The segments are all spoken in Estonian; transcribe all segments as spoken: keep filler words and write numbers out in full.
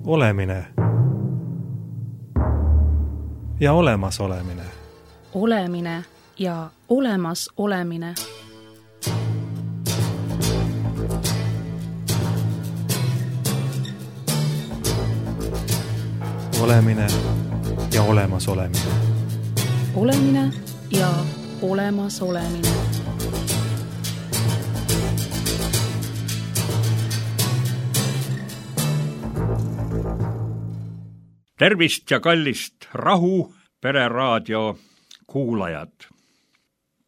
Olemine ja olemas olemine. Olemine ja olemas olemine. Olemine ja olemas olemine. Olemine ja olemas olemine. Tervist ja kallist Rahu pereraadio kuulajad.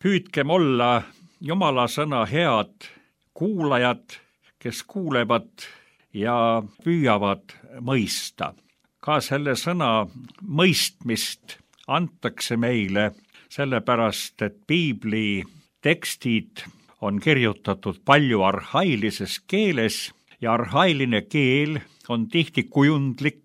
Püüdkem olla Jumala sõna head kuulajad, kes kuulevad ja püüavad mõista. Ka selle sõna mõistmist antakse meile sellepärast, et piibli tekstid on kirjutatud palju arhailises keeles ja arhailine keel on tihti kujundlik.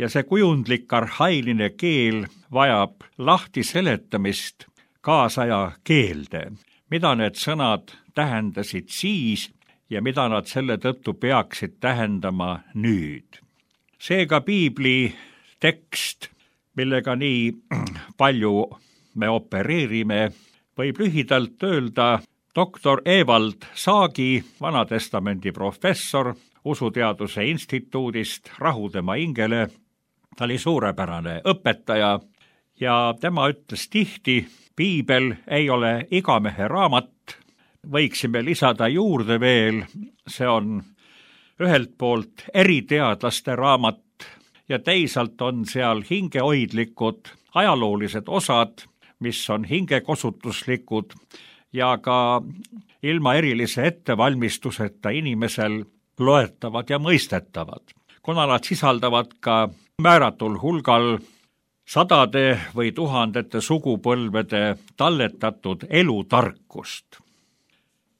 Ja see kujundlik arhailine keel vajab lahti seletamist kaasaja keelde, mida need sõnad tähendasid siis ja mida nad selle tõttu peaksid tähendama nüüd. Seega piibli tekst, millega nii palju me opereerime, võib lühidalt öelda doktor Evald Saagi, Vanatestamendi professor Usuteaduse instituudist Rahu tema hingele. Ta oli suurepärane õpetaja ja tema ütles tihti, piibel ei ole igamehe raamat, võiksime lisada juurde veel, see on ühelt poolt eriteadlaste raamat ja teisalt on seal hingehoidlikud ajaloolised osad, mis on hingekosutuslikud ja ka ilma erilise ettevalmistuseta inimesel loetavad ja mõistetavad, kuna nad sisaldavad ka määratul hulgal sadade või tuhandete sugupõlvede talletatud elutarkust.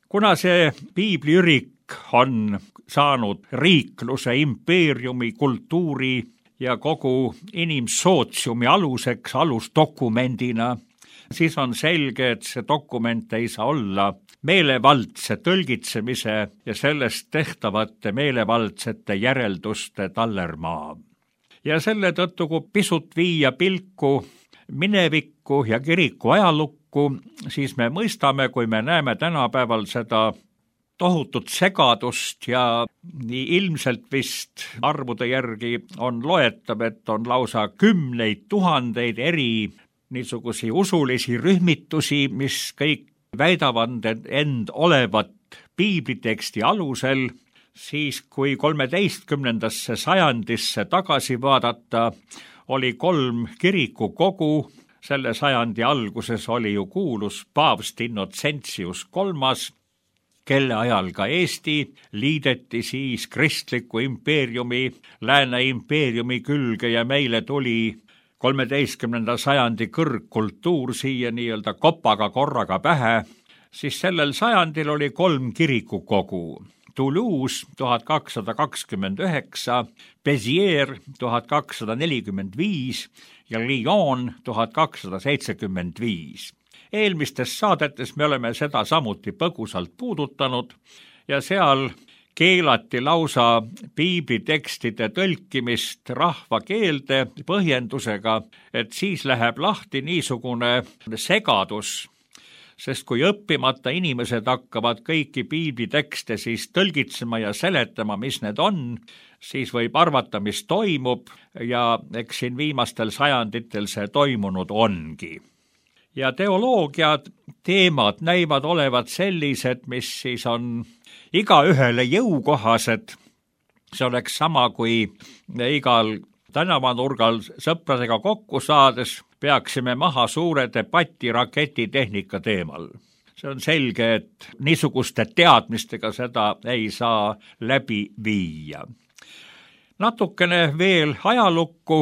Kuna see piibliürik on saanud riikluse, impeeriumi, kultuuri ja kogu inimsootsiumi aluseks, alusdokumendina, siis on selge, et see dokument ei saa olla meelevaldse tõlgitsemise ja sellest tehtavate meelevaldsete järelduste tallermaa. Ja selle tõttu, kui pisut viia pilku minevikku ja kiriku ajalukku, siis me mõistame, kui me näeme tänapäeval seda tohutut segadust ja nii ilmselt vist arvude järgi on loetav, et on lausa kümneid tuhandeid eri niisugusi usulisi rühmitusi, mis kõik väidavad end olevat piibliteksti alusel, siis kui kolmeteistkümnendasse sajandisse tagasi vaadata, oli kolm kirikukogu, selle sajandi alguses oli ju kuulus paavst Innocentius kolmas, kelle ajal ka Eesti liideti siis kristliku impeeriumi, lääne impeeriumi külge ja meile tuli kolmeteistkümnenda sajandi kõrgkultuur siia nii-öelda kopaga korraga pähe, siis sellel sajandil oli kolm kirikukogu. Toulouse tuhat kakssada kakskümmend üheksa, Béziers tuhat kakssada nelikümmend viis ja Lyon tuhat kakssada seitsekümmend viis. Eelmistes saadetes me oleme seda samuti põgusalt puudutanud ja seal keelati lausa piiblitekstide tõlkimist rahvakeelde põhjendusega, et siis läheb lahti niisugune segadus, sest kui õppimata inimesed hakkavad kõiki piiblitekste siis tõlgitsema ja seletama, mis need on, siis võib arvata, mis toimub ja eks siin viimastel sajanditel see toimunud ongi. Ja teoloogiad, teemad näivad olevat sellised, mis siis on igaühele jõukohased. See oleks sama, kui igal tänavanurgal sõpradega kokku saades peaksime maha suure debati raketitehnika teemal. See on selge, et niisuguste teadmistega seda ei saa läbi viia. Natukene veel ajalukku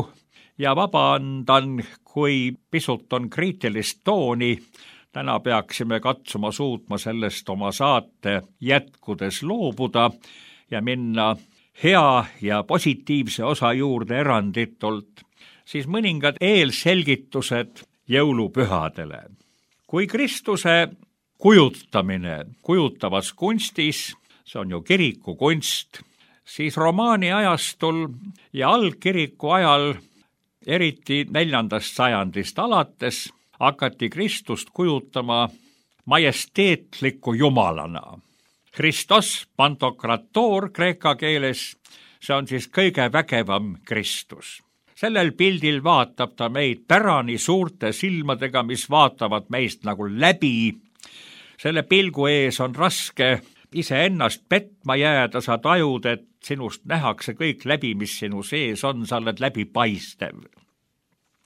ja vabandan, kui pisut on kriitilist tooni. Täna peaksime katsuma suutma sellest oma saate jätkudes loobuda ja minna hea ja positiivse osa juurde eranditult, siis mõningad eelselgitused jõulupühadele. Kui Kristuse kujutamine kujutavas kunstis, see on ju kirikukunst, siis romaani ajastul ja algkiriku ajal, eriti neljandast sajandist alates, hakati Kristust kujutama majesteetliku jumalana. Christos Pantokrator kreeka keeles, see on siis kõige vägevam Kristus. Sellel pildil vaatab ta meid pärani suurte silmadega, mis vaatavad meist nagu läbi. Selle pilgu ees on raske iseennast petma jääda, sa tajud, et sinust nähakse kõik läbi, mis sinu sees on, sa oled läbipaistev.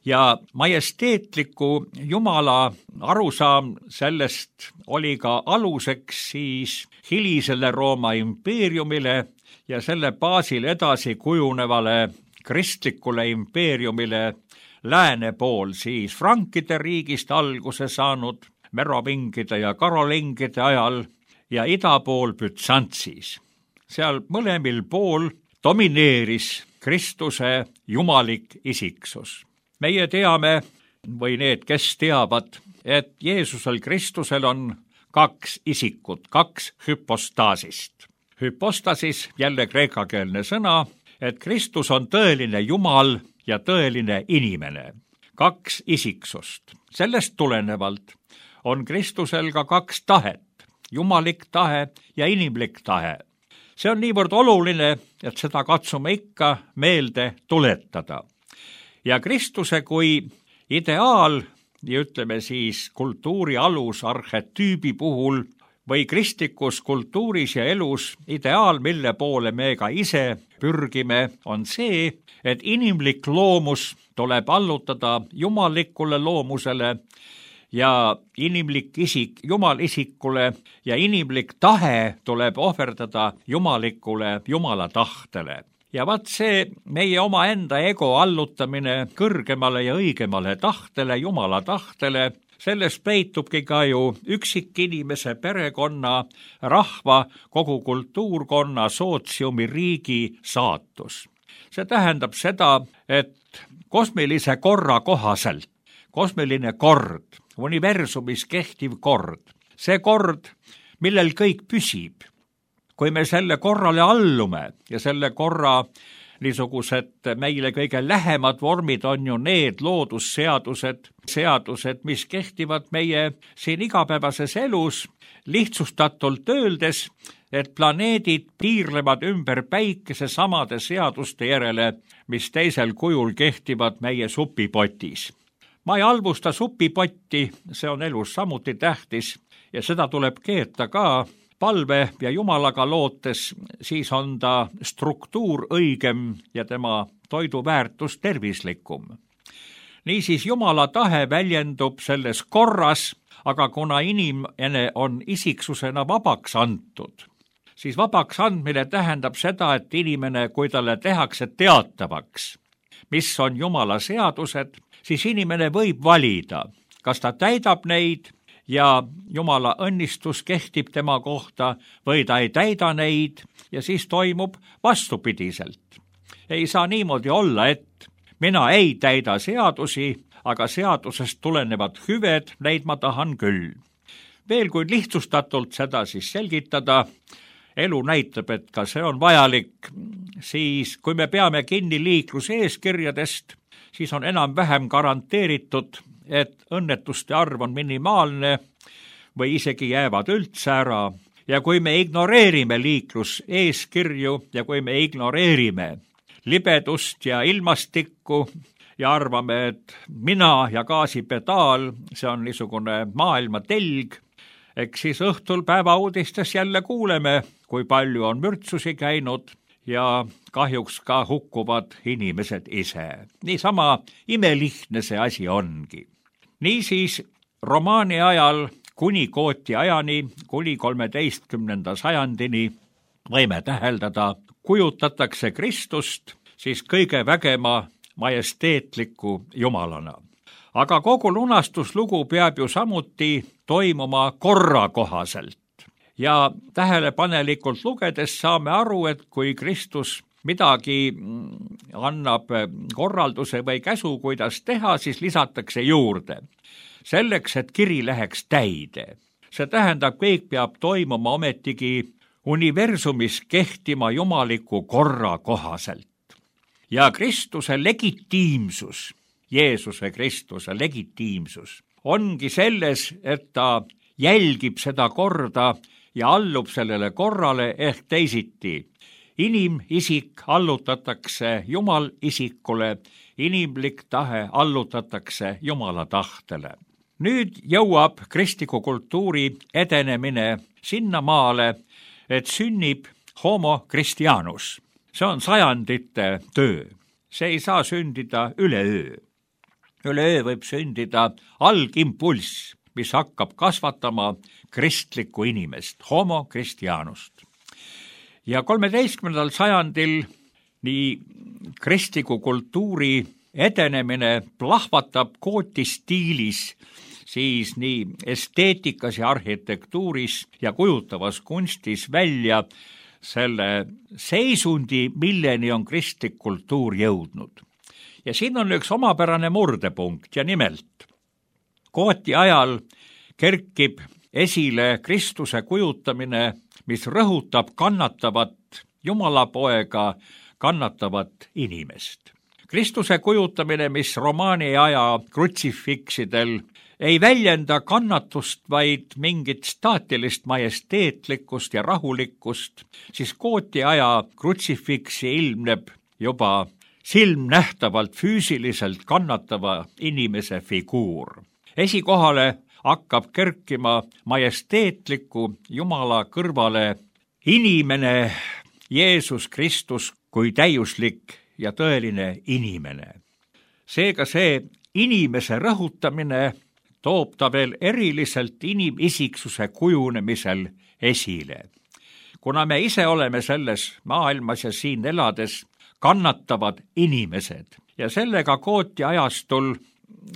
Ja majesteetliku Jumala arusaam sellest oli ka aluseks siis hilisele Rooma impeeriumile ja selle baasil edasi kujunevale kristlikule impeeriumile lääne pool siis Frankide riigist alguse saanud merovingide ja karolingide ajal ja ida pool Bütsantsis. Seal mõlemil pool domineeris Kristuse jumalik isiksus. Meie teame, või need, kes teavad, et Jeesusel Kristusel on kaks isikut, kaks hüpostaasist. Hüpostasis, jälle kreekakeelne sõna, et Kristus on tõeline Jumal ja tõeline inimene. Kaks isiksust. Sellest tulenevalt on Kristusel ka kaks tahet, jumalik tahe ja inimlik tahe. See on niivõrd oluline, et seda katsume ikka meelde tuletada. Ja Kristuse kui ideaal, ja ütleme siis kultuuri alus arhetüübi puhul või kristlikus kultuuris ja elus ideaal, mille poole me ka ise pürgime, on see, et inimlik loomus tuleb allutada jumalikule loomusele ja inimlik isik jumalisikule ja inimlik tahe tuleb ohverdada jumalikule jumala tahtele. Ja vaat see meie omaenda ego allutamine kõrgemale ja õigemale tahtele, jumala tahtele, selles peitubki ka ju üksikinimese, perekonna, rahva, kogu kultuurkonna, sootsiumi, riigi saatus. See tähendab seda, et kosmilise korra kohaselt, kosmiline kord, universumis kehtiv kord, see kord, millel kõik püsib, kui me selle korrale allume ja selle korra niisugused meile kõige lähemad vormid on ju need loodusseadused, seadused, mis kehtivad meie siin igapäevases elus, lihtsustatult öeldes, et planeedid piirlevad ümber päikese samade seaduste järele, mis teisel kujul kehtivad meie supipotis. Ma ei halvusta supipotti, see on elus samuti tähtis ja seda tuleb keeta ka palve ja jumalaga lootes, siis on ta struktuur õigem ja tema toiduväärtus tervislikum. Niisiis jumala tahe väljendub selles korras, aga kuna inimene on isiksusena vabaks antud, siis vabaks andmine tähendab seda, et inimene, kui talle tehakse teatavaks, mis on jumala seadused, siis inimene võib valida, kas ta täidab neid ja jumala õnnistus kehtib tema kohta või ta ei täida neid ja siis toimub vastupidiselt. Ei saa niimoodi olla, et mina ei täida seadusi, aga seadusest tulenevad hüved, neid ma tahan küll. Veel kui lihtsustatult seda siis selgitada, elu näitab, et ka see on vajalik, siis kui me peame kinni liikluseeskirjadest, siis on enam-vähem garanteeritud, et õnnetuste arv on minimaalne või isegi jäävad üldse ära. Ja kui me ignoreerime liikluseeskirju ja kui me ignoreerime libedust ja ilmastikku ja arvame, et mina ja gaasipedaal, see on niisugune maailma telg, eks siis õhtul päevauudistes jälle kuuleme, kui palju on mürtsusi käinud ja kahjuks ka hukkuvad inimesed ise. Niisama imelihtne see asi ongi. Niisiis, romaani ajal kuni Gooti ajani, kuni kolmeteistkümnenda sajandini võime täheldada, kujutatakse Kristust siis kõige vägema majesteetliku jumalana. Aga kogu lunastuslugu peab ju samuti toimuma korra kohaselt. Ja tähelepanelikult lugedes saame aru, et kui Kristus midagi annab korralduse või käsu, kuidas teha, siis lisatakse juurde. Selleks, et kiri läheks täide. See tähendab, kõik peab toimuma ometigi universumis kehtima jumaliku korra kohaselt. Ja Kristuse legitiimsus, Jeesuse Kristuse legitiimsus, ongi selles, et ta jälgib seda korda ja allub sellele korrale ehk teisiti. Inimisik allutatakse Jumal isikule, inimlik tahe allutatakse Jumala tahtele. Nüüd jõuab kristliku kultuuri edenemine sinnamaale, et sünnib homo Christianus. See on sajandite töö. See ei saa sündida üleöö. Üleöö võib sündida algimpulss, mis hakkab kasvatama kristlikku inimest, homo Christianust. Ja kolmeteistkümnendal sajandil nii kristliku kultuuri edenemine plahvatab gooti stiilis, siis nii esteetikas ja arhitektuuris ja kujutavas kunstis välja selle seisundi, milleni on kristlik kultuur jõudnud. Ja siin on üks omapärane murdepunkt ja nimelt. Gooti ajal kerkib esile Kristuse kujutamine, mis rõhutab kannatavat Jumalapoega, kannatavat inimest. Kristuse kujutamine, mis romaani aja krutsifiksidel ei väljenda kannatust, vaid mingit staatilist majesteetlikkust ja rahulikkust, siis gooti aja krutsifiksi ilmneb juba silmnähtavalt füüsiliselt kannatava inimese figuur. Esikohale hakkab kerkima majesteetliku Jumala kõrvale inimene, Jeesus Kristus kui täiuslik ja tõeline inimene. Seega see inimese rõhutamine toob ta veel eriliselt inimisiksuse kujunemisel esile. Kuna me ise oleme selles maailmas ja siin elades kannatavad inimesed ja sellega gooti ajastul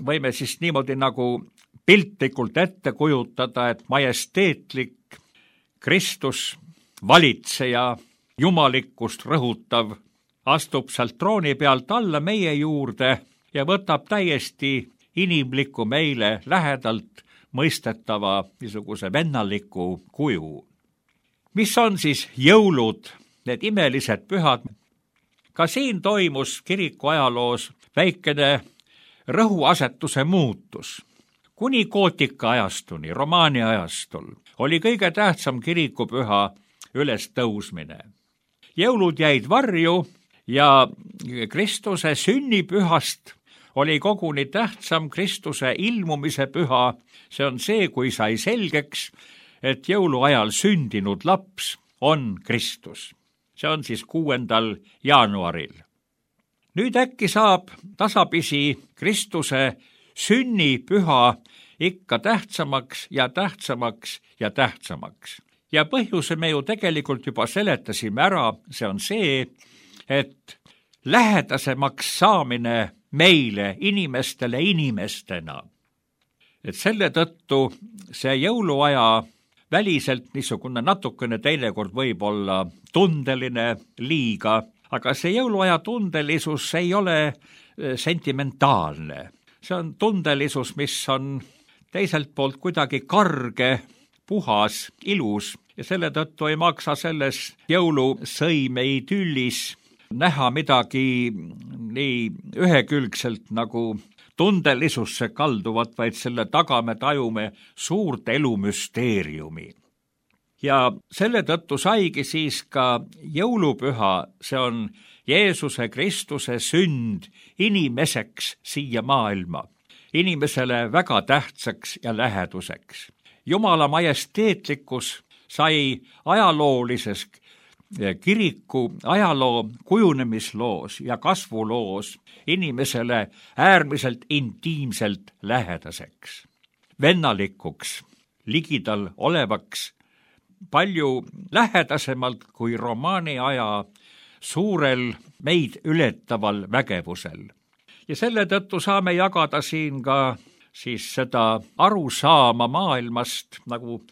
võime siis niimoodi nagu piltlikult ette kujutada, et majesteetlik Kristus, valitseja, jumalikkust rõhutav, astub sealt trooni pealt alla meie juurde ja võtab täiesti inimliku meile lähedalt mõistetava niisuguse vennaliku kuju. Mis on siis jõulud, need imelised pühad? Ka siin toimus kiriku ajaloos väikene rõhuasetuse muutus. Kuni gootika ajastuni, romaani ajastul, oli kõige tähtsam kirikupüha üles tõusmine. Jõulud jäid varju ja Kristuse sünnipühast oli koguni tähtsam Kristuse ilmumise püha. See on see, kui sai selgeks, et jõuluajal sündinud laps on Kristus. See on siis kuuendal jaanuaril. Nüüd äkki saab tasapisi Kristuse sünnipüha ikka tähtsamaks ja tähtsamaks ja tähtsamaks. Ja põhjuse me ju tegelikult juba seletasime ära, see on see, et lähedasemaks saamine meile, inimestele inimestena. Et selle tõttu see jõuluaja väliselt niisugune natukene teinekord võib olla tundeline liiga, aga see jõuluaja tundelisus ei ole sentimentaalne. See on tundelisus, mis on teiselt poolt kuidagi karge, puhas, ilus ja selle tõttu ei maksa selles jõulusõime idüllis näha midagi nii ühekülgselt nagu tundelisusse kalduvat, vaid selle taga me tajume suurt elumüsteeriumi. Ja selle tõttu saigi siis ka jõulupüha, see on Jeesuse Kristuse sünd inimeseks siia maailma, inimesele väga tähtsaks ja läheduseks. Jumala majesteetlikkus sai ajaloolises kiriku ajaloo kujunemisloos ja kasvuloos inimesele äärmiselt intiimselt lähedaseks, vennalikuks, ligidal olevaks, palju lähedasemalt kui romaani aja suurel meid ületaval vägevusel. Ja selle tõttu saame jagada siin ka siis seda arusaama maailmast nagu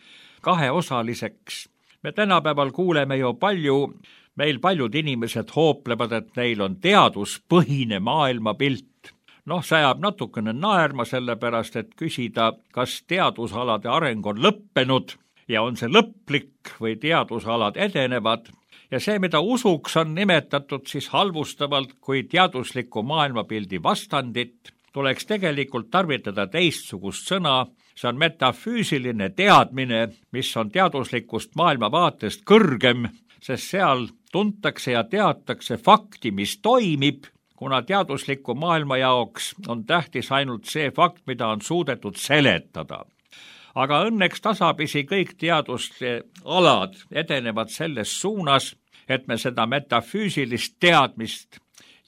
kaheosaliseks. Me tänapäeval kuuleme ju palju, meil paljud inimesed hooplevad, et neil on teaduspõhine maailmapilt. Noh, see ajab natukene naerma sellepärast, et küsida, kas teadusalade areng on lõppenud ja on see lõplik või teadusalad edenevad ja see, mida usuks on nimetatud siis halvustavalt kui teadusliku maailmapildi vastandit, tuleks tegelikult tarvitada teistsugust sõna, see on metafüüsiline teadmine, mis on teaduslikust maailmavaatest kõrgem, sest seal tuntakse ja teatakse fakti, mis toimib, kuna teadusliku maailma jaoks on tähtis ainult see fakt, mida on suudetud seletada. Aga õnneks tasapisi kõik teaduste alad edenevad selles suunas, et me seda metafüüsilist teadmist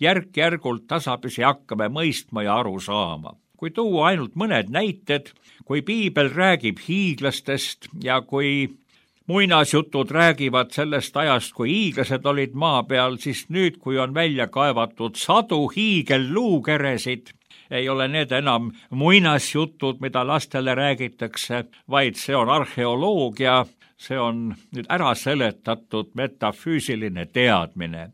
järk-järgult tasapisi hakkame mõistma ja aru saama. Kui tuua ainult mõned näited, kui piibel räägib hiiglastest ja kui muinasjutud räägivad sellest ajast, kui hiiglased olid maa peal, siis nüüd, kui on välja kaevatud sadu hiigelluukeresid, ei ole need enam muinasjutud, mida lastele räägitakse, vaid see on arheoloogia, see on nüüd ära seletatud metafüüsiline teadmine.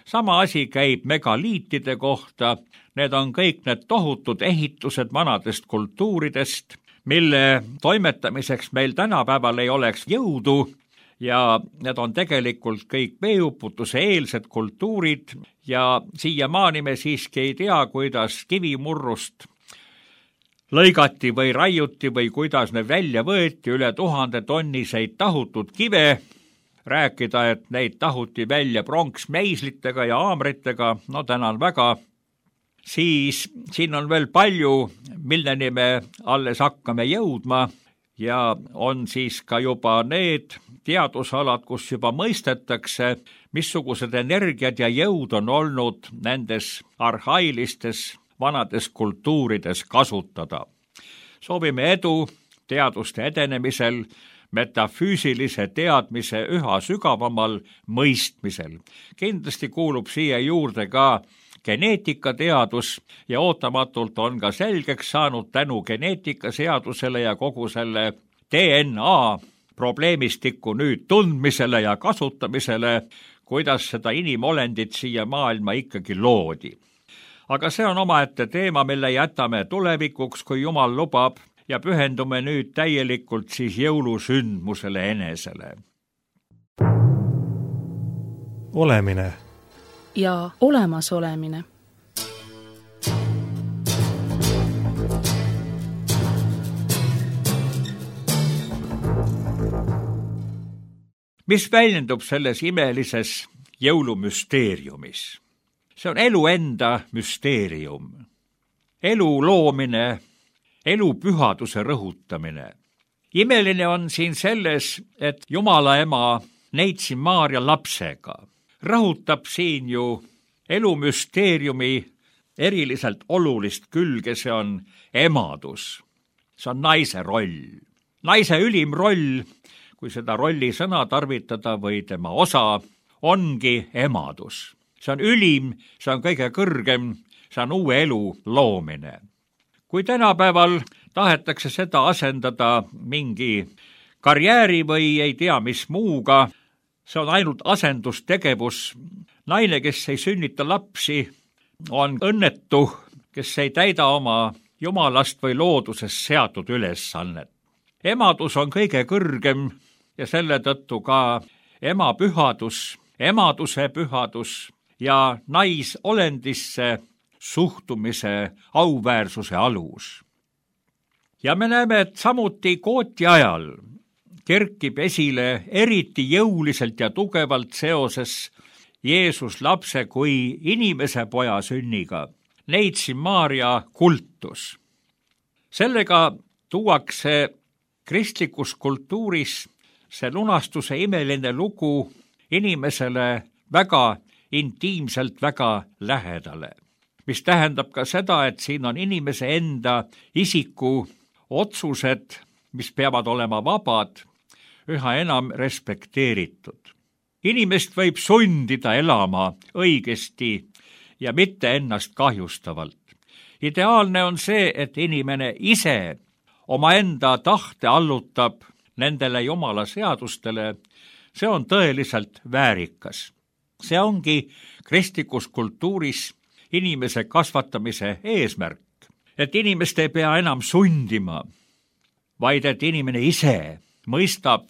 Sama asi käib megaliitide kohta, need on kõik need tohutud ehitused vanadest kultuuridest, mille toimetamiseks meil tänapäeval ei oleks jõudu ja need on tegelikult kõik veeuputuse eelsed kultuurid ja siiamaani me siiski ei tea, kuidas kivimurrust lõigati või raiuti või kuidas ne välja võeti üle tuhande tonniseid tahutud kive, rääkida, et neid tahuti välja pronksmeislitega ja haamritega, no tänan väga, siis siin on veel palju, milleni me alles hakkame jõudma ja on siis ka juba need teadusalad, kus juba mõistetakse, missugused energiad ja jõud on olnud nendes arhailistes vanades kultuurides kasutada. Soovime edu teaduste edenemisel, metafüüsilise teadmise üha sügavamal mõistmisel. Kindlasti kuulub siia juurde ka geneetikateadus ja ootamatult on ka selgeks saanud tänu geneetikaseadusele ja kogu selle D N A probleemistiku nüüd tundmisele ja kasutamisele, kuidas seda inimolendit siia maailma ikkagi loodi. Aga see on omaette teema, mille jätame tulevikuks, kui Jumal lubab, ja pühendume nüüd täielikult siis jõulusündmusele enesele. Olemine ja olemasolemine. Mis väljendub selles imelises jõulumüsteeriumis? See on elu enda müsteerium. Elu loomine, elu pühaduse rõhutamine. Imeline on siin selles, et Jumala ema neitsi Maarja lapsega. Rõhutab siin ju elu müsteeriumi eriliselt olulist külge, see on emadus. See on naise roll. Naise ülim roll, kui seda rolli sõna tarvitada või tema osa, ongi emadus. See on ülim, see on kõige kõrgem, see on uue elu loomine. Kui tänapäeval tahetakse seda asendada mingi karjääri või ei tea mis muuga, see on ainult asendustegevus. Naine, kes ei sünnita lapsi, on õnnetu, kes ei täida oma Jumalast või loodusest seatud ülesannet. Emadus on kõige kõrgem ja selle tõttu ka ema pühadus, emaduse pühadus ja naisolendisse suhtumise auväärsuse alus. Ja me näeme, et samuti kooti ajal kerkib esile eriti jõuliselt ja tugevalt seoses Jeesus lapse kui inimese poja sünniga, neitsi Maarja kultus. Sellega tuuakse kristlikus kultuuris see lunastuse imeline lugu inimesele väga intiimselt, väga lähedale, mis tähendab ka seda, et siin on inimese enda isiku otsused, mis peavad olema vabad, üha enam respekteeritud. Inimest võib sundida elama õigesti ja mitte ennast kahjustavalt. Ideaalne on see, et inimene ise omaenda tahte allutab nendele Jumala seadustele, see on tõeliselt väärikas. See ongi kristlikus kultuuris inimese kasvatamise eesmärk, et inimest ei pea enam sundima, vaid et inimene ise mõistab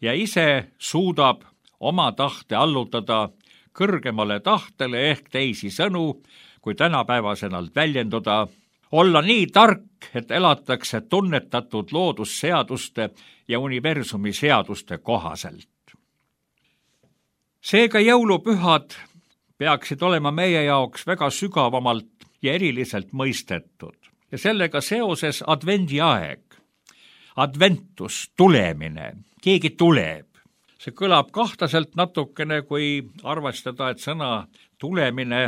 ja ise suudab oma tahte allutada kõrgemale tahtele ehk teisi sõnu, kui tänapäevasenalt väljenduda, olla nii tark, et elatakse tunnetatud loodusseaduste ja universumi seaduste kohaselt. Seega jõulupühad peaksid olema meie jaoks väga sügavamalt ja eriliselt mõistetud ja sellega seoses advendiaeg, adventus, tulemine, keegi tuleb. See kõlab kahtaselt natukene, kui arvestada, et sõna tulemine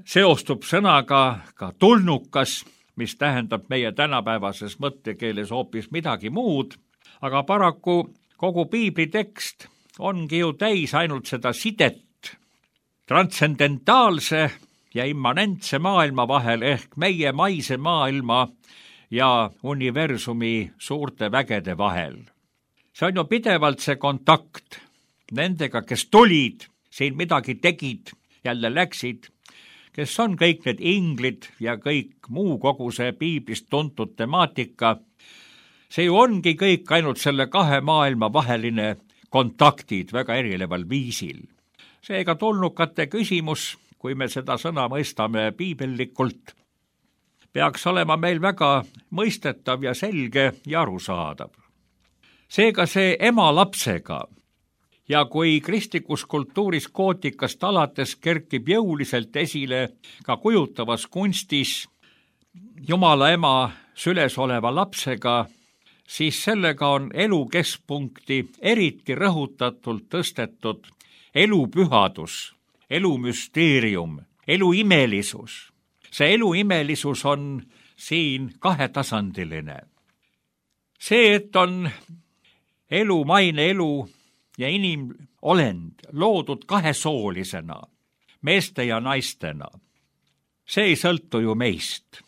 seostub sõnaga ka tulnukas, mis tähendab meie tänapäevases mõttekeeles hoopis midagi muud, aga paraku kogu piibli tekst ongi ju täis ainult seda sidet transcendentaalse ja immanentse maailma vahel ehk meie maise maailma ja universumi suurte vägede vahel. See on ju pidevalt see kontakt nendega, kes tulid, siin midagi tegid, jälle läksid, kes on kõik need inglid ja kõik muu kogu see piiblist tuntud temaatika. See ju ongi kõik ainult selle kahe maailma vaheline kontaktid väga erineval viisil. Seega tulnukate küsimus, kui me seda sõna mõistame piibellikult, peaks olema meil väga mõistetav ja selge ja arusaadav. Seega see ema lapsega ja kui kristlikus kultuuris gootikast alates kerkib jõuliselt esile ka kujutavas kunstis Jumala ema süles oleva lapsega, siis sellega on elu keskpunkti eriti rõhutatult tõstetud elupühadus, elumüsteerium, eluimelisus. See eluimelisus on siin kahetasandiline. See, et on elu, maine elu ja inimolend loodud kahesoolisena, meeste ja naistena, see ei sõltu ju meist.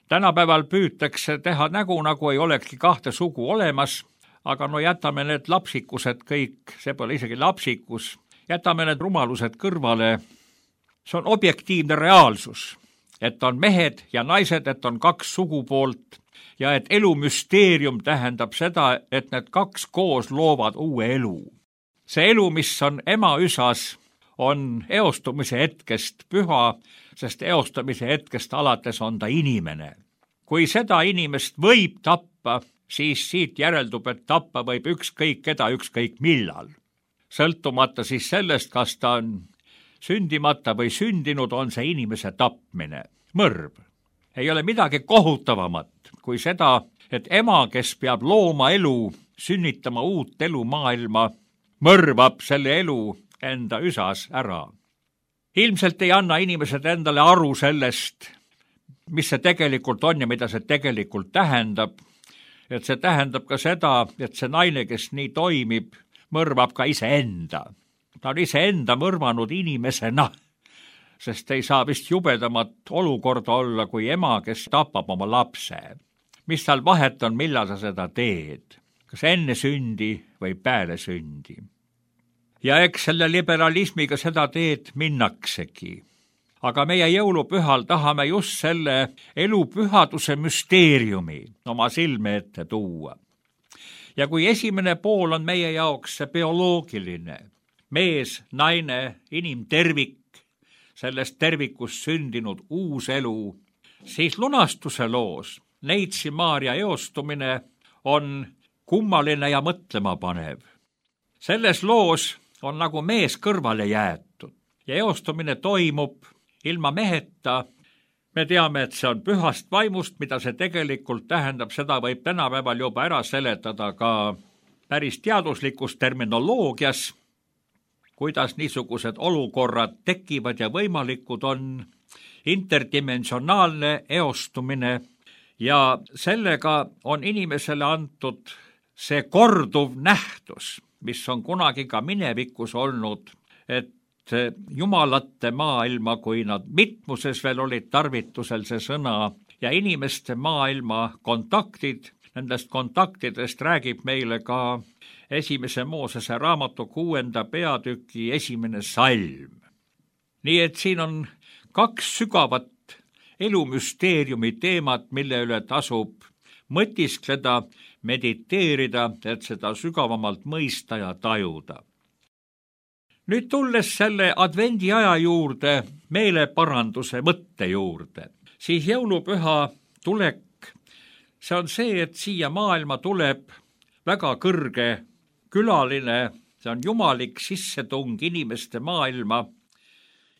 Tänapäeval püütakse teha nägu, nagu ei olekski kahte sugu olemas, aga no jätame need lapsikused kõik, see pole isegi lapsikus, jätame need rumalused kõrvale. See on objektiivne reaalsus, et on mehed ja naised, et on kaks sugupoolt ja et elumüsteerium tähendab seda, et need kaks koos loovad uue elu. See elu, mis on ema üsas, on eostumise hetkest püha, sest eostamise hetkest alates on ta inimene. Kui seda inimest võib tappa, siis siit järeldub, et tappa võib ükskõik keda, ükskõik millal. Sõltumata siis sellest, kas ta on sündimata või sündinud, on see inimese tapmine. Mõrv. Ei ole midagi kohutavamat kui seda, et ema, kes peab looma elu, sünnitama uut elu maailma, mõrvab selle elu enda üsas ära. Ilmselt ei anna inimesed endale aru sellest, mis see tegelikult on ja mida see tegelikult tähendab. Et see tähendab ka seda, et see naine, kes nii toimib, mõrvab ka iseenda. Ta on iseenda mõrvanud inimesena, sest ei saa vist jubedamat olukorda olla kui ema, kes tapab oma lapse. Mis tal vahet on, millal sa seda teed? Kas enne sündi või peale sündi? Ja eks selle liberalismiga seda teed minnaksegi. Aga meie jõulupühal tahame just selle elupühaduse müsteeriumi oma silme ette tuua. Ja kui esimene pool on meie jaoks see bioloogiline, mees, naine, inimtervik, sellest tervikust sündinud uus elu, siis lunastuse loos Neitsi Maarja eostumine on kummaline ja mõtlema panev. Selles loos on nagu mees kõrvale jäetud ja eostumine toimub ilma meheta. Me teame, et see on pühast vaimust, mida see tegelikult tähendab, seda võib tänapäeval juba ära seletada ka päris teaduslikus terminoloogias, kuidas niisugused olukorrad tekivad ja võimalikud on, interdimensionaalne eostumine ja sellega on inimesele antud see korduv nähtus, mis on kunagi ka minevikus olnud, et jumalate maailma, kui nad mitmuses veel olid tarvitusel see sõna, ja inimeste maailma kontaktid, nendest kontaktidest räägib meile ka esimese Moosese raamatu kuuenda peatüki esimene salm. Nii et siin on kaks sügavat elumüsteeriumi teemat, mille üle tasub mõtiskleda, mediteerida, et seda sügavamalt mõista ja tajuda. Nüüd tulles selle advendi aja juurde, meeleparanduse mõtte juurde, siis jõulupüha tulek, see on see, et siia maailma tuleb väga kõrge külaline, see on jumalik sissetung inimeste maailma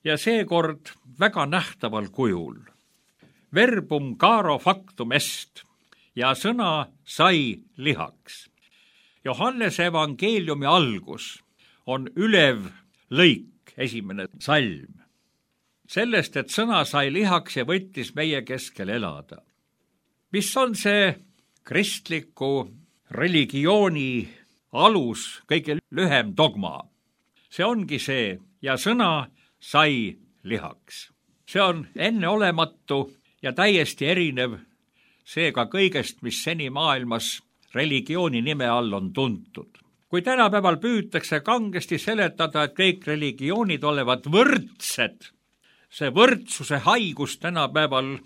ja seekord väga nähtaval kujul. Verbum caro factum est ja sõna sai lihaks. Johannese evangeeliumi algus on ülev lõik, esimene salm. Sellest, et sõna sai lihaks ja võttis meie keskel elada. Mis on see kristliku religiooni alus, kõige lühem dogma? See ongi see, ja sõna sai lihaks. See on enneolematu ja täiesti erinev seega kõigest, mis seni maailmas religiooni nime all on tuntud. Kui tänapäeval püütakse kangesti seletada, et kõik religioonid olevat võrdsed, see võrdsuse haigus tänapäeval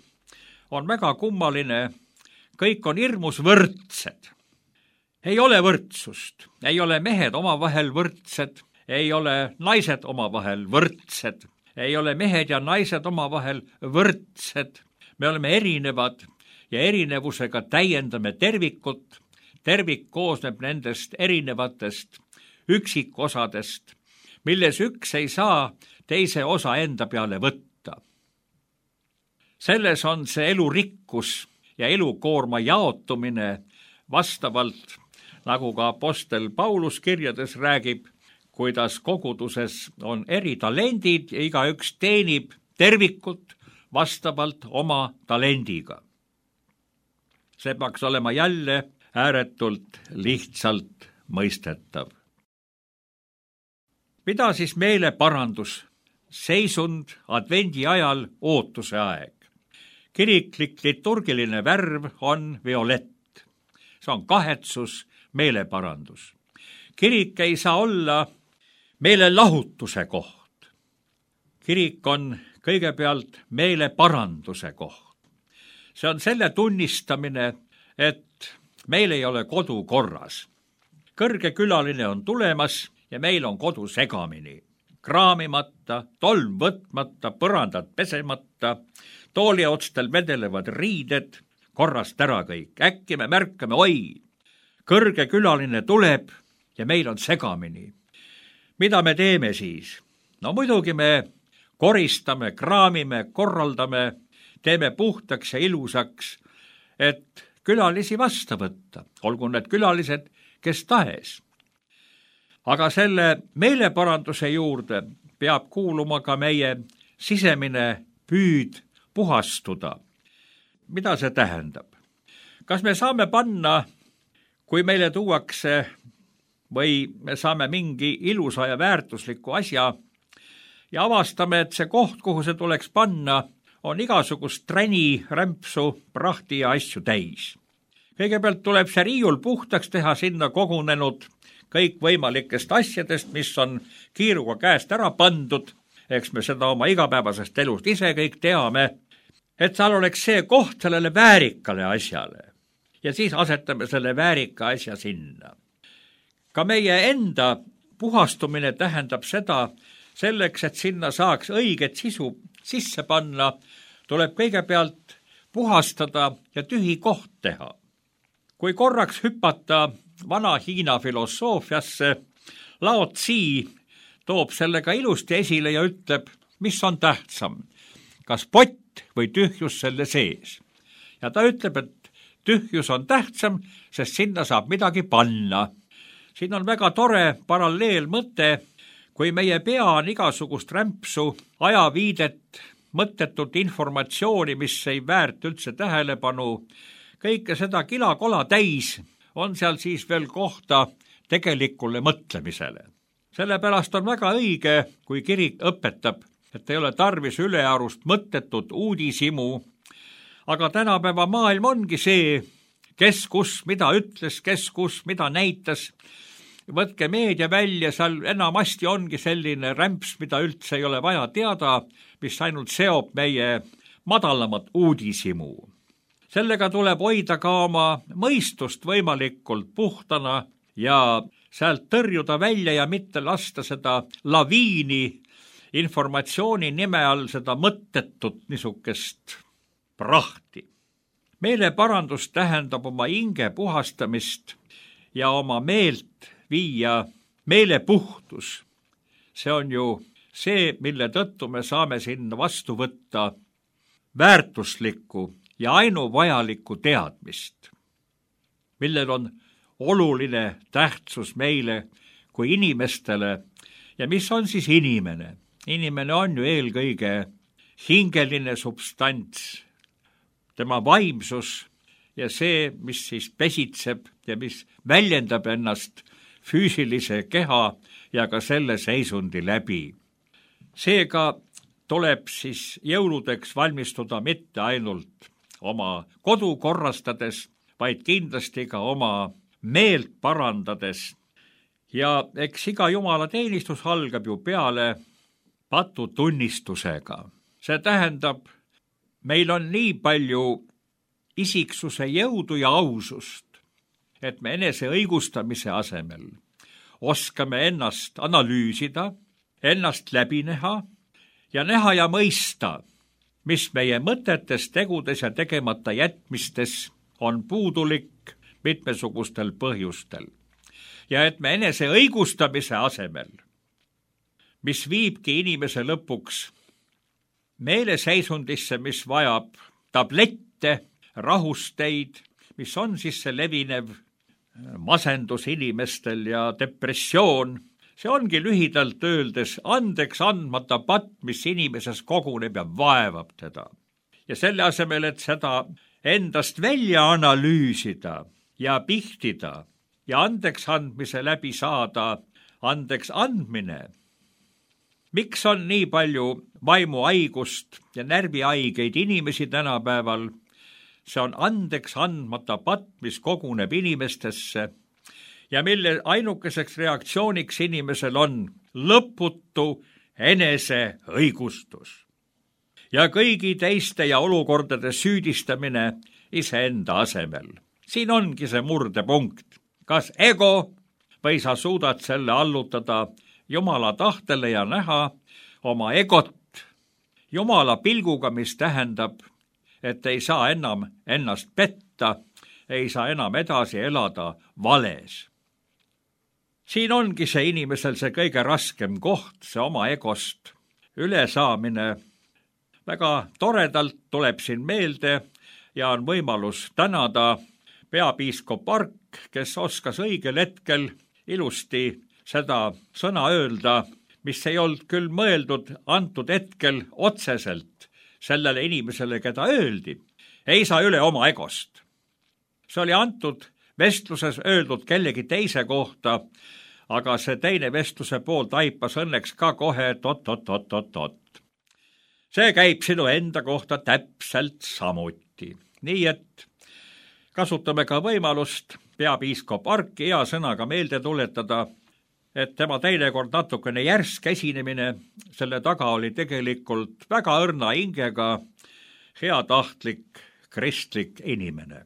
on väga kummaline, kõik on hirmus võrdsed. Ei ole võrdsust, ei ole mehed omavahel võrdsed, ei ole naised omavahel võrdsed, ei ole mehed ja naised omavahel võrdsed. Me oleme erinevad ja erinevusega täiendame tervikut. Tervik koosneb nendest erinevatest üksikosadest, milles üks ei saa teise osa enda peale võtta. Selles on see elurikkus ja elukoorma jaotumine vastavalt, nagu ka apostel Paulus kirjades räägib, kuidas koguduses on eri talendid ja igaüks teenib tervikut vastavalt oma talendiga. See peaks olema jälle ääretult lihtsalt mõistetav. Mida siis meeleparandus, seisund advendi ajal ootuse aeg? Kiriklik liturgiline värv on violett. See on kahetsus, meeleparandus. Kirik ei saa olla meelelahutuse koht. Kirik on kõigepealt meeleparanduse koht. See on selle tunnistamine, et meil ei ole kodu korras. Kõrge külaline on tulemas ja meil on kodu segamini. Kraamimata, tolm võtmata, põrandad pesemata, tooliotstel vedelevad riided, korrast ära kõik. Äkki me märkame, oi, kõrge külaline tuleb ja meil on segamini. Mida me teeme siis? No muidugi me koristame, kraamime, korraldame, teeme puhtaks ja ilusaks, et külalisi vasta võtta, olgu need külalised, kes tahes. Aga selle meeleparanduse juurde peab kuuluma ka meie sisemine püüd puhastuda. Mida see tähendab? Kas me saame panna, kui meile tuuakse või me saame mingi ilusa ja väärtusliku asja ja avastame, et see koht, kuhu see tuleks panna, on igasugust träni, rämpsu, prahti ja asju täis. Kõigepealt tuleb see riiul puhtaks teha, sinna kogunenud kõik võimalikest asjadest, mis on kiiruga käest ära pandud, eks me seda oma igapäevasest elust ise kõik teame, et seal oleks see koht sellele väärikale asjale ja siis asetame selle väärika asja sinna. Ka meie enda puhastumine tähendab seda, selleks, et sinna saaks õiget sisu sisse panna, tuleb kõigepealt puhastada ja tühi koht teha. Kui korraks hüpata vana Hiina filosoofiasse, Lao Tzi toob sellega ilusti esile ja ütleb, mis on tähtsam, kas pott või tühjus selle sees. Ja ta ütleb, et tühjus on tähtsam, sest sinna saab midagi panna. Siin on väga tore paralleelmõte, kui meie pea on igasugust rämpsu, ajaviidet, mõttetut informatsiooni, mis ei väärt üldse tähelepanu, kõike seda kilakola täis, on seal siis veel kohta tegelikule mõtlemisele. Sellepärast on väga õige, kui kirik õpetab, et ei ole tarvis ülearust mõttetut uudisimu, aga tänapäeva maailm ongi see, kes kus mida ütles, kes kus mida näitas. Võtke meedia välja, seal enamasti ongi selline rämps, mida üldse ei ole vaja teada, mis ainult seob meie madalamat uudisimu. sellega tuleb hoida ka oma mõistust võimalikult puhtana ja sealt tõrjuda välja ja mitte lasta seda laviini informatsiooni nime all seda mõttetut niisugust prahti. Meeleparandus tähendab oma hinge puhastamist ja oma meelt viia meelepuhtus. See on ju see, mille tõttu me saame sinna vastu võtta väärtuslikku ja ainuvajalikku teadmist, millel on oluline tähtsus meile kui inimestele. Ja mis on siis inimene? Inimene on ju eelkõige hingeline substants, tema vaimsus ja see, mis siis pesitseb ja mis väljendab ennast füüsilise keha ja ka selle seisundi läbi. Seega tuleb siis jõuludeks valmistuda mitte ainult oma kodu korrastades, vaid kindlasti ka oma meelt parandades. Ja eks iga jumala teenistus algab ju peale patutunnistusega. See tähendab, meil on nii palju isiksuse jõudu ja ausust, et me enese õigustamise asemel oskame ennast analüüsida, ennast läbi näha ja näha ja mõista, mis meie mõtetes, tegudes ja tegemata jätmistes on puudulik mitmesugustel põhjustel. Ja et me enese õigustamise asemel, mis viibki inimese lõpuks meeleseisundisse, mis vajab tablette, rahusteid, mis on siis see levinev masendus inimestel ja depressioon. See ongi lühidalt öeldes andeks andmata patt, mis inimeses koguneb ja vaevab teda. Ja selle asemel, et seda endast välja analüüsida ja pihtida ja andeks andmise läbi saada andeks andmine. Miks on nii palju vaimuhaigust ja närvihaigeid inimesi tänapäeval? See on andeks andmata patt, mis koguneb inimestesse ja mille ainukeseks reaktsiooniks inimesel on lõputu enese õigustus. Ja kõigi teiste ja olukordade süüdistamine iseenda asemel. Siin ongi see murdepunkt. Kas ego või sa suudad selle allutada Jumala tahtele ja näha oma egot Jumala pilguga, mis tähendab, et ei saa enam ennast petta, ei saa enam edasi elada vales. Siin ongi see inimesel see kõige raskem koht, see oma egost ülesaamine. Väga toredalt tuleb siin meelde ja on võimalus tänada peapiiskop Ark, kes oskas õigel hetkel ilusti seda sõna öelda, mis ei olnud küll mõeldud antud hetkel otseselt sellele inimesele, keda öeldi. Ei saa üle oma egost. See oli antud vestluses öeldud kellegi teise kohta, aga see teine vestluse pool taipas õnneks ka kohe, et ot, ot, ot, ot, ot. See käib sinu enda kohta täpselt samuti. Nii et kasutame ka võimalust peapiiskop Arki hea sõnaga meelde tuletada, et tema teinekord natukene järsk esinemine, selle taga oli tegelikult väga õrna hingega heatahtlik kristlik inimene.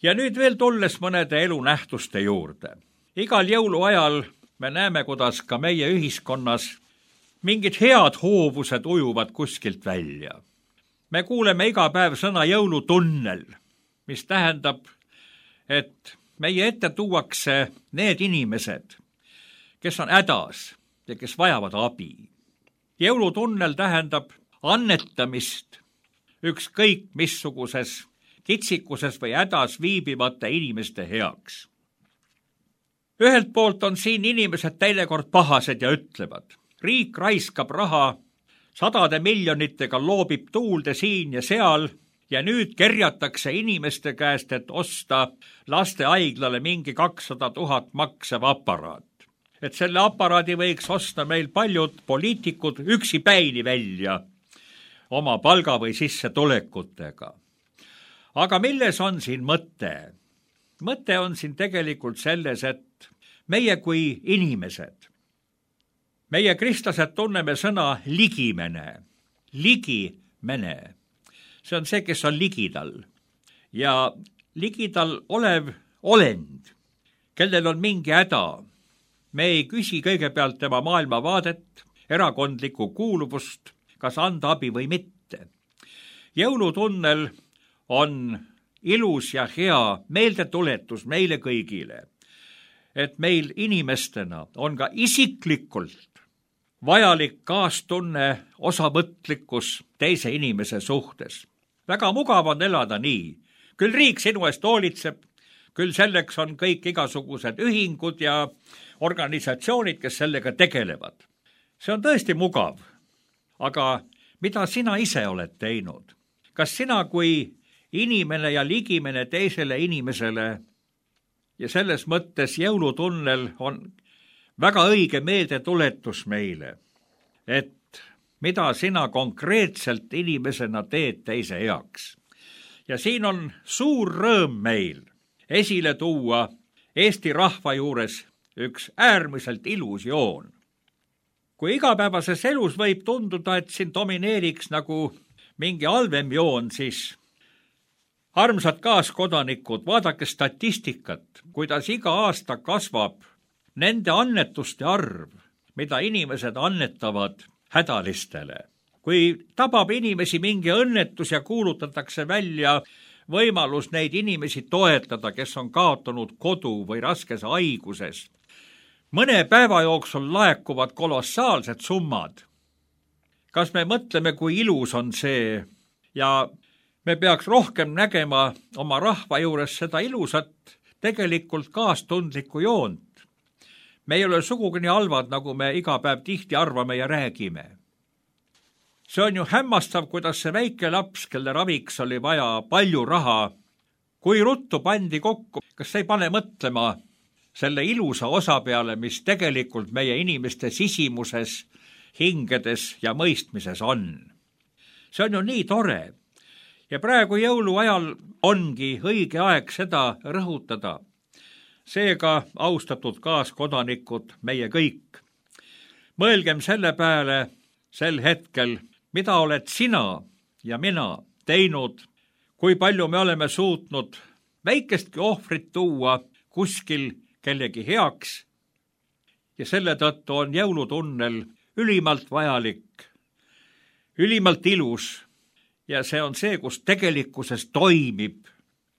Ja nüüd veel tulles mõnede elunähtuste juurde. Igal jõuluajal me näeme, kuidas ka meie ühiskonnas mingid head hoovused ujuvad kuskilt välja. Me kuuleme iga päev sõna jõulutunnel, mis tähendab, et meie ette tuuakse need inimesed, kes on hädas ja kes vajavad abi. Jõulutunnel tähendab annetamist ükskõik missuguses kitsikuses või hädas viibivate inimeste heaks. Ühelt poolt on siin inimesed teinekord pahased ja ütlevad, riik raiskab raha, sadade miljonitega loobib tuulde siin ja seal ja nüüd kerjatakse inimeste käest, et osta lastehaiglale mingi kakssada tuhat maksev aparaat. Et selle aparaadi võiks osta meil paljud poliitikud üksipäini välja oma palga või sissetulekutega. Aga milles on siin mõte? Mõte on siin tegelikult selles, et meie kui inimesed meie kristlased tunneme sõna ligimene, ligimene. See on see, kes on ligidal ja ligidal olev olend, kellel on mingi häda. Me ei küsi kõigepealt tema maailmavaadet, erakondlikku kuuluvust, kas anda abi või mitte. Jõulutunnel on ilus ja hea meeldetuletus meile kõigile, et meil inimestena on ka isiklikult vajalik kaastunne, osavõtlikkus teise inimese suhtes. Väga mugav on elada nii. Küll riik sinu eest hoolitseb, küll selleks on kõik igasugused ühingud ja organisatsioonid, kes sellega tegelevad. See on tõesti mugav. Aga mida sina ise oled teinud? Kas sina kui inimene ja ligimene teisele inimesele ja selles mõttes jõulutunnel on väga õige meeldetuletus meile, et mida sina konkreetselt inimesena teed teise heaks. Ja siin on suur rõõm meil esile tuua Eesti rahva juures üks äärmiselt ilus joon. Kui igapäevases elus võib tunduda, et siin domineeriks nagu mingi halvem joon, siis armsad kaaskodanikud, vaadake statistikat, kuidas iga aasta kasvab nende annetuste arv, mida inimesed annetavad hädalistele. Kui tabab inimesi mingi õnnetus ja kuulutatakse välja võimalus neid inimesi toetada, kes on kaotanud kodu või raskes haiguses, mõne päeva jooksul laekuvad kolossaalsed summad. Kas me mõtleme, kui ilus on see ja me peaks rohkem nägema oma rahva juures seda ilusat, tegelikult kaastundlikku joont. Me ei ole sugugi nii halvad, nagu me iga päev tihti arvame ja räägime. See on ju hämmastav, kuidas see väike laps, kelle raviks oli vaja palju raha, kui ruttu pandi kokku, kas ei pane mõtlema selle ilusa osa peale, mis tegelikult meie inimeste sisimuses, hingedes ja mõistmises on. See on ju nii tore. Ja praegu jõuluajal ongi õige aeg seda rõhutada. Seega, austatud kaaskodanikud, meie kõik, mõelgem selle peale sel hetkel, mida oled sina ja mina teinud, kui palju me oleme suutnud väikestki ohvrit tuua kuskil kellegi heaks ja selle tõttu on jõulutunnel ülimalt vajalik, ülimalt ilus ja see on see, kus tegelikkuses toimib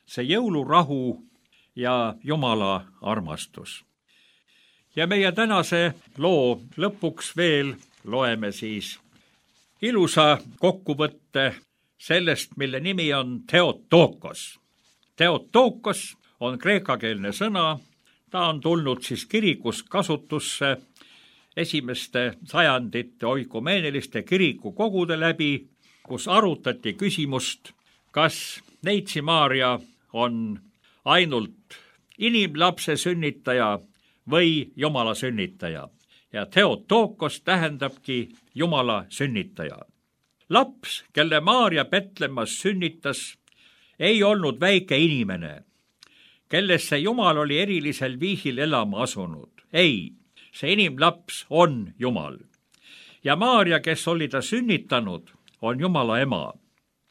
see jõulurahu ja Jumala armastus. Ja meie tänase loo lõpuks veel loeme siis ilusa kokkuvõtte sellest, mille nimi on Theotokos. Theotokos on kreekakeelne sõna, ta on tulnud siis kirikus kasutusse esimeste sajandite oikumeeniliste kirikukogude läbi, kus arutati küsimust, kas Neitsi Maarja on ainult inimlapse sünnitaja või Jumala sünnitaja. Ja Theotokos tähendabki Jumala sünnitaja. Laps, kelle Maarja Petlemmas sünnitas, ei olnud väike inimene, kellesse Jumal oli erilisel viisil elama asunud. Ei, see inimlaps on Jumal. Ja Maarja, kes oli ta sünnitanud, on Jumala ema.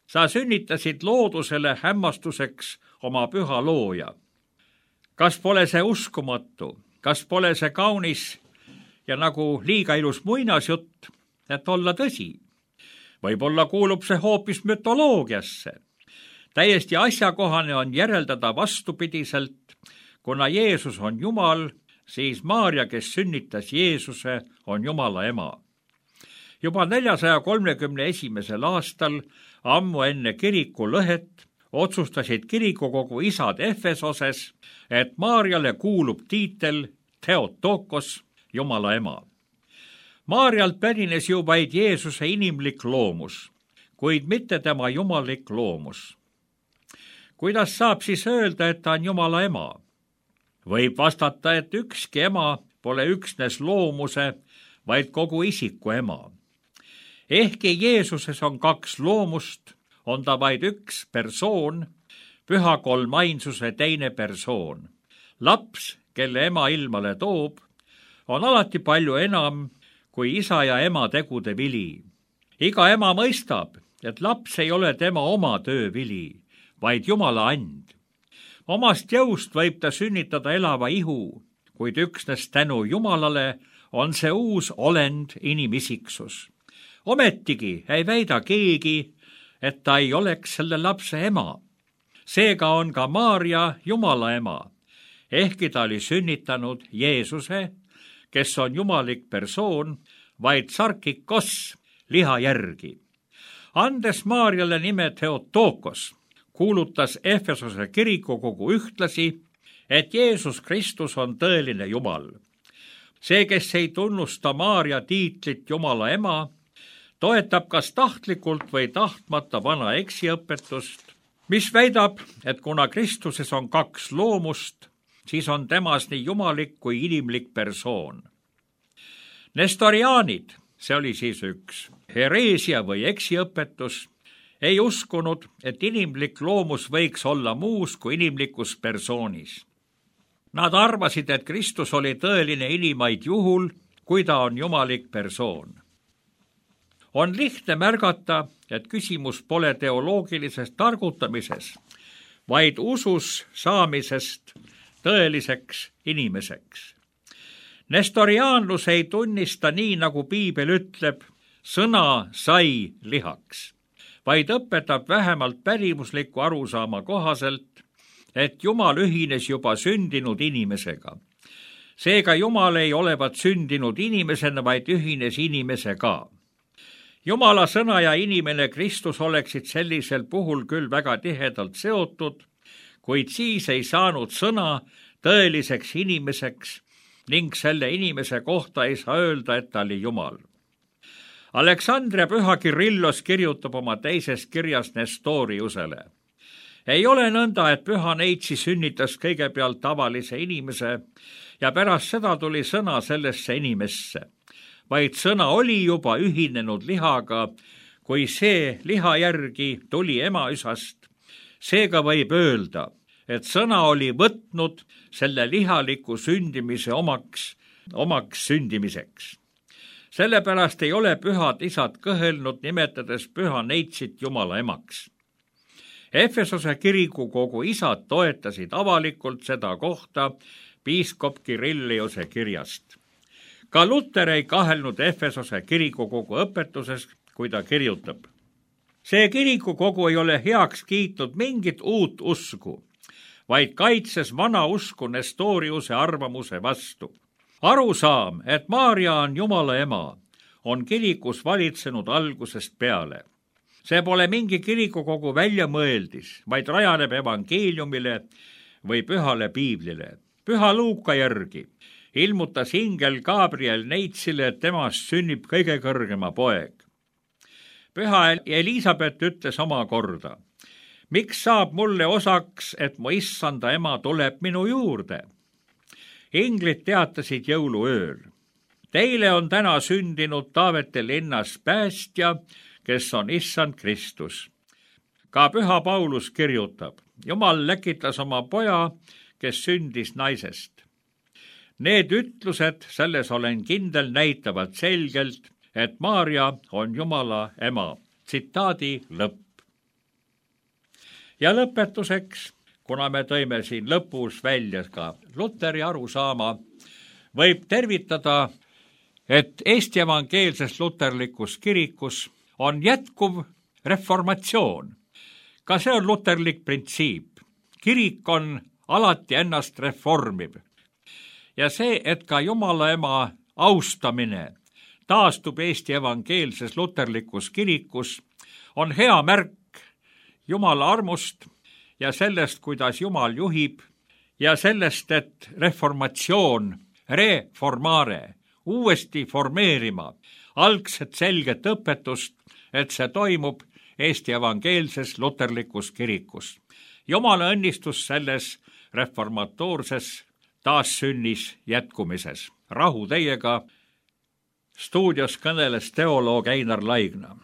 Sa sünnitasid loodusele hämmastuseks oma püha looja. Kas pole see uskumatu? Kas pole see kaunis ja nagu liiga ilus muinasjutt, et olla tõsi? Võib-olla kuulub see hoopis mütoloogiasse. Täiesti asjakohane on järeldada vastupidiselt, kuna Jeesus on Jumal, siis Maarja, kes sünnitas Jeesuse, on Jumala ema. Juba neljasaja kolmekümne esimesel aastal, ammu enne kiriku lõhet, otsustasid kirikukogu isad Efesoses, et Maarjale kuulub tiitel Theotokos, Jumala ema. Maarjalt pärines ju vaid Jeesuse inimlik loomus, kuid mitte tema jumalik loomus. Kuidas saab siis öelda, et ta on Jumala ema? Võib vastata, et ükski ema pole üksnes loomuse, vaid kogu isiku ema. Ehkki Jeesuses on kaks loomust, on ta vaid üks persoon, püha kolmainsuse teine persoon. Laps, kelle ema ilmale toob, on alati palju enam kui isa ja ema tegude vili. iga ema mõistab, et laps ei ole tema oma töö vili, vaid Jumala and. omast jõust võib ta sünnitada elava ihu, kuid üksnes tänu Jumalale on see uus olend inimisiksus. Ometigi ei väida keegi, et ta ei oleks selle lapse ema. Seega on ka Maarja Jumala ema, ehkki ta oli sünnitanud Jeesuse, kes on jumalik persoon, vaid sarkikos liha järgi. Andes Maarjale nime Theotokos, kuulutas Efesose kirikukogu ühtlasi, et Jeesus Kristus on tõeline Jumal. See, kes ei tunnusta Maarja tiitlit Jumala ema, toetab kas tahtlikult või tahtmata vana eksiõpetust, mis väidab, et kuna Kristuses on kaks loomust, siis on temas nii jumalik kui inimlik persoon. Nestoriaanid, see oli siis üks hereesia või eksiõpetus, ei uskunud, et inimlik loomus võiks olla muus kui inimlikus persoonis. Nad arvasid, et Kristus oli tõeline inimaid juhul, kui ta on jumalik persoon. On lihtne märgata, et küsimus pole teoloogilisest targutamises, vaid usus saamisest tõeliseks inimeseks. Nestoriaanlus ei tunnista nii, nagu Piibel ütleb, sõna sai lihaks, vaid õpetab vähemalt pärimusliku arusaama kohaselt, et Jumal ühines juba sündinud inimesega. Seega Jumal ei olevat sündinud inimesena, vaid ühines inimesega. Jumala sõna ja inimene Kristus oleksid sellisel puhul küll väga tihedalt seotud, kuid siis ei saanud sõna tõeliseks inimeseks ning selle inimese kohta ei saa öelda, et ta oli Jumal. Aleksandria püha Kirillos kirjutab oma teises kirjas Nestoriusele. Ei ole nõnda, et püha neitsi sünnitas kõigepealt tavalise inimese ja pärast seda tuli sõna sellesse inimesse, vaid sõna oli juba ühinenud lihaga, kui see liha järgi tuli emaüsast. Seega võib öelda, et sõna oli võtnud selle lihaliku sündimise omaks, omaks sündimiseks. Sellepärast ei ole pühad isad kõhelnud, nimetades püha neitsit Jumala emaks. Efesose kirikukogu isad toetasid avalikult seda kohta piiskop Kirilliuse kirjast. Ka Luter ei kahelnud Efesose kirikukogu õpetuses, kui ta kirjutab. See kirikukogu ei ole heaks kiitnud mingit uut usku, vaid kaitses vana usku Nestoriuse arvamuse vastu. Arusaam, et Maarja on Jumala ema, on kirikus valitsenud algusest peale. See pole mingi kirikukogu väljamõeldis, vaid rajaneb evangeeliumile või pühale piiblile. Püha Luuka järgi ilmutas ingel Gabriel neitsile, et temast sünnib kõige kõrgema poeg. Püha Elisabet ütles oma korda, miks saab mulle osaks, et mu issanda ema tuleb minu juurde? Inglid teatasid jõuluööl. Teile on täna sündinud Taavete linnas päästja, kes on issand Kristus. Ka püha Paulus kirjutab, Jumal läkitas oma poja, kes sündis naisest. Need ütlused, selles olen kindel, näitavad selgelt, et Maarja on Jumala ema. Tsitaadi lõpp. Ja lõpetuseks, kuna me tõime siin lõpus välja ka Luteri arusaama, võib tervitada, et Eesti evangeelses luterlikus kirikus on jätkuv reformatsioon. Ka see on luterlik printsiip. Kirik on alati ennast reformiv. Ja see, et ka Jumala ema austamine taastub Eesti evangeelses luterlikus kirikus, on hea märk Jumala armust ja sellest, kuidas Jumal juhib, ja sellest, et reformatsioon, reformare, uuesti formeerima algset selget õpetust, et see toimub Eesti evangeelses luterlikus kirikus. Jumala õnnistus selles reformatoorses taassünnis jätkumises. Rahu teiega, stuudios kõneles teoloog Einar Laigna.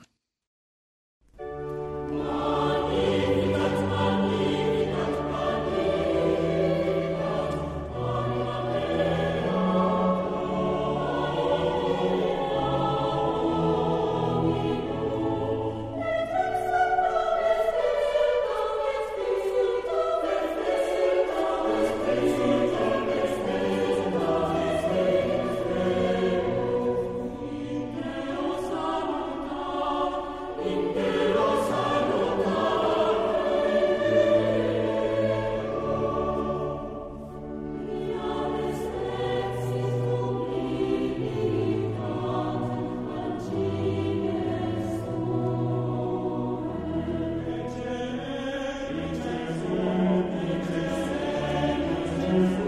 Amen.